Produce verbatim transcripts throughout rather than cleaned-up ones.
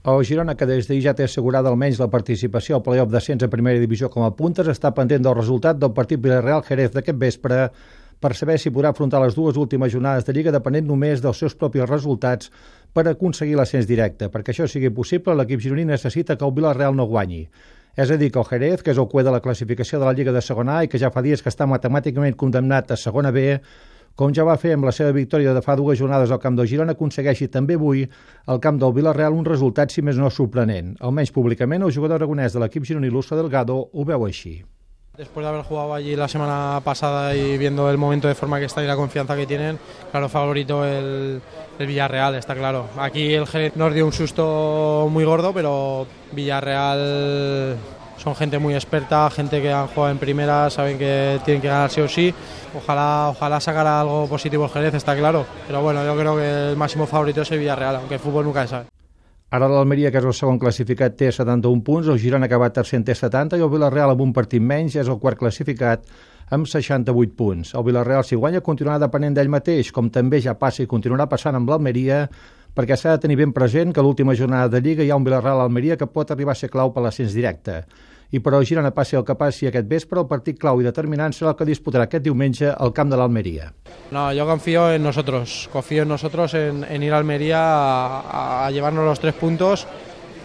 El Girona, que des d'ahir ja té assegurada almenys la participació al play-off d'ascens a primera divisió com a puntes, està pendent del resultat del partit Villarreal-Jerez d'aquest vespre per saber si podrà afrontar les dues últimes jornades de Lliga depenent només dels seus propis resultats per aconseguir l'ascens directe. Perquè això sigui possible, l'equip gironí necessita que el Villarreal no guanyi. És a dir, que el Jerez, que és el cué de la classificació de la Lliga de segona A i que ja fa dies que està matemàticament condemnat a segona B, com ja va fer amb la seva victòria de fa dues jornades al camp del Girona, aconsegueixi també avui al camp del Villarreal un resultat, si més no, sorprenent. Almenys públicament, el jugador aragonès de l'equip gironí, Luso Delgado, ho veu així. Después de haber jugado allí la semana pasada y viendo el momento de forma que está y la confianza que tienen, claro, favorito el, el Villarreal, está claro. Aquí el Jerez nos dio un susto muy gordo, pero Villarreal son gente muy experta, gente que han jugado en primera, saben que tienen que ganar sí o sí. Ojalá, ojalá sacara algo positivo el Jerez, está claro. Pero bueno, yo creo que el máximo favorito es el Villarreal, aunque el fútbol nunca se sabe. Ara l'Almeria, que és el segon classificat, té setanta-un punts, el Girona, que va tercer, té setanta, i el Villarreal, amb un partit menys, és el quart classificat, amb seixanta-vuit punts. El Villarreal, si guanya, continuarà depenent d'ell mateix, com també ja passa i continuarà passant amb l'Almeria, perquè s'ha de tenir ben present que a l'última jornada de Lliga hi ha un Villarreal-Almeria que pot arribar a ser clau per l'ascens directe. I però el Girona passi el que passi aquest vespre, el partit clau i determinant serà el que disputarà aquest diumenge al camp de l'Almeria. No, yo confío en nosotros, confío en nosotros en, en ir a Almería a, a llevarnos los tres puntos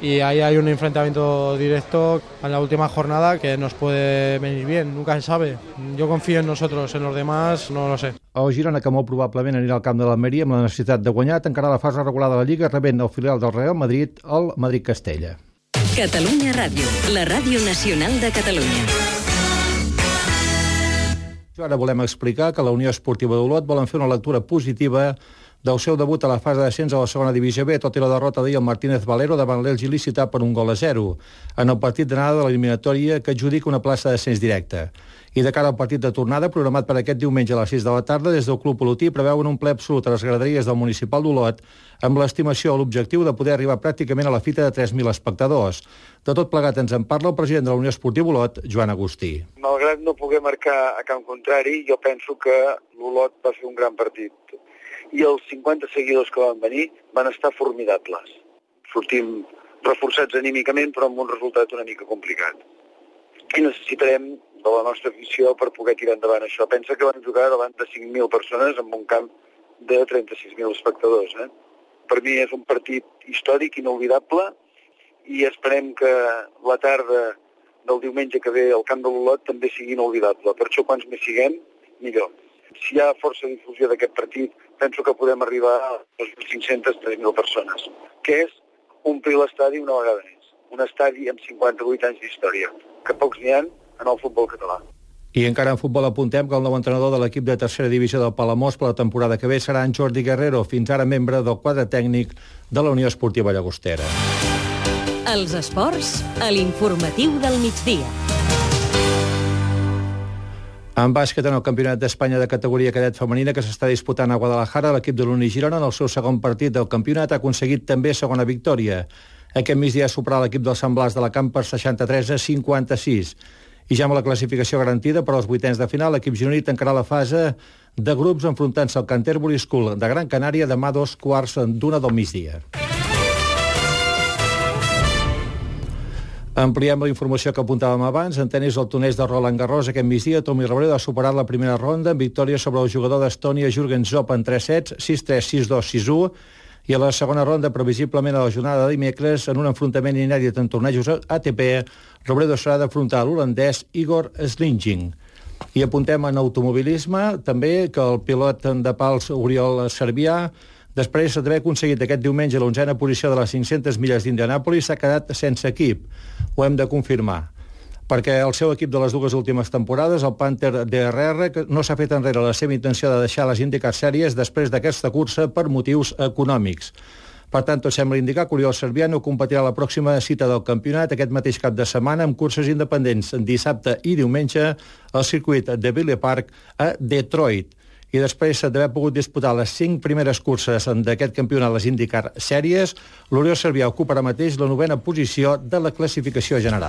y ahí hay un enfrentamiento directo en la última jornada que nos puede venir bien, nunca se sabe. Yo confío en nosotros, en los demás no lo sé. El Girona, que molt probablement anirà al camp de l'Almeria amb la necessitat de guanyar, tancarà la fase regular de la Lliga rebent el filial del Real Madrid, el Madrid-Castella. Catalunya Ràdio, la ràdio nacional de Catalunya. Ara volem explicar que la Unió Esportiva d'Olot volen fer una lectura positiva del seu debut a la fase d'ascens a la segona divisió B, tot i la derrota d'ahir al Martínez Valero davant l'Elx il·lícita per un gol a zero, en el partit d'anada de l'eliminatòria que adjudica una plaça d'ascens directe. I de cara al partit de tornada, programat per aquest diumenge a les sis de la tarda, des del Club Olotí preveuen un ple absolut a les graderies del municipal d'Olot, amb l'estimació o l'objectiu de poder arribar pràcticament a la fita de tres mil espectadors. De tot plegat ens en parla el president de la Unió Esportiva Olot, Joan Agustí. Malgrat no poder marcar a camp contrari, jo penso que l'Olot va fer un gran partit. I els cinquanta seguidors que van venir van estar formidables. Sortim reforçats anímicament, però amb un resultat una mica complicat. I necessitarem de la nostra afició per poder tirar endavant això. Pensa que van jugar davant de cinc mil persones en un camp de trenta-sis mil espectadors. Eh? Per mi és un partit històric, inolvidable, i esperem que la tarda del diumenge que ve al camp de l'Olot també sigui inolvidable. Per això, quants més siguem, millor. Si hi ha força difusió d'aquest partit, penso que podem arribar a les cinc-centes tres mil persones, que és omplir l'estadi una vegada més. Un estadi amb cinquanta-vuit anys d'història, que pocs n'hi ha en el futbol català. I encara en futbol apuntem que el nou entrenador de l'equip de tercera divisió del Palamós per la temporada que ve serà en Jordi Guerrero, fins ara membre del quadre tècnic de la Unió Esportiva Llagostera. Els esports a l'informatiu del migdia. En bàsquet, en el Campionat d'Espanya de categoria cadet femenina que s'està disputant a Guadalajara, l'equip de l'Uni Girona, en el seu segon partit del campionat, ha aconseguit també segona victòria. Aquest migdia ha superat l'equip del Sant Blas de la Camp per seixanta-tres a cinquanta-sis. I ja amb la classificació garantida per als vuitens de final, l'equip gironí tancarà la fase de grups enfrontant-se al Canterbury School de Gran Canària demà dos quarts d'una del migdia. Ampliem la informació que apuntàvem abans. En tenis, el torneig de Roland Garros aquest migdia, Tommy Robredo ha superat la primera ronda amb victòria sobre el jugador d'Estònia Jürgen Zopp en tres sets, sis tres, sis dos, sis u, i a la segona ronda, previsiblement a la jornada de dimecres, en un enfrontament inèdit en tornejos A T P, Robredo serà d'afrontar l'holandès Igor Slinging. I apuntem en automobilisme també que el pilot de pals Oriol Servià, després d'haver aconseguit aquest diumenge l'onzena posició de les cinc-centes milles d'Indianàpolis, s'ha quedat sense equip. Ho hem de confirmar, perquè el seu equip de les dues últimes temporades, el Panther D R R, no s'ha fet enrere la seva intenció de deixar les IndyCar Series després d'aquesta cursa per motius econòmics. Per tant, tot sembla indicar que Oriol Servià no competirà la pròxima cita del campionat aquest mateix cap de setmana amb curses independents dissabte i diumenge al circuit de Villa Park a Detroit. I després d'haver pogut disputar les cinc primeres curses d'aquest campionat, les IndyCar Series, l'Oriol Servià ocupa ara mateix la novena posició de la classificació general.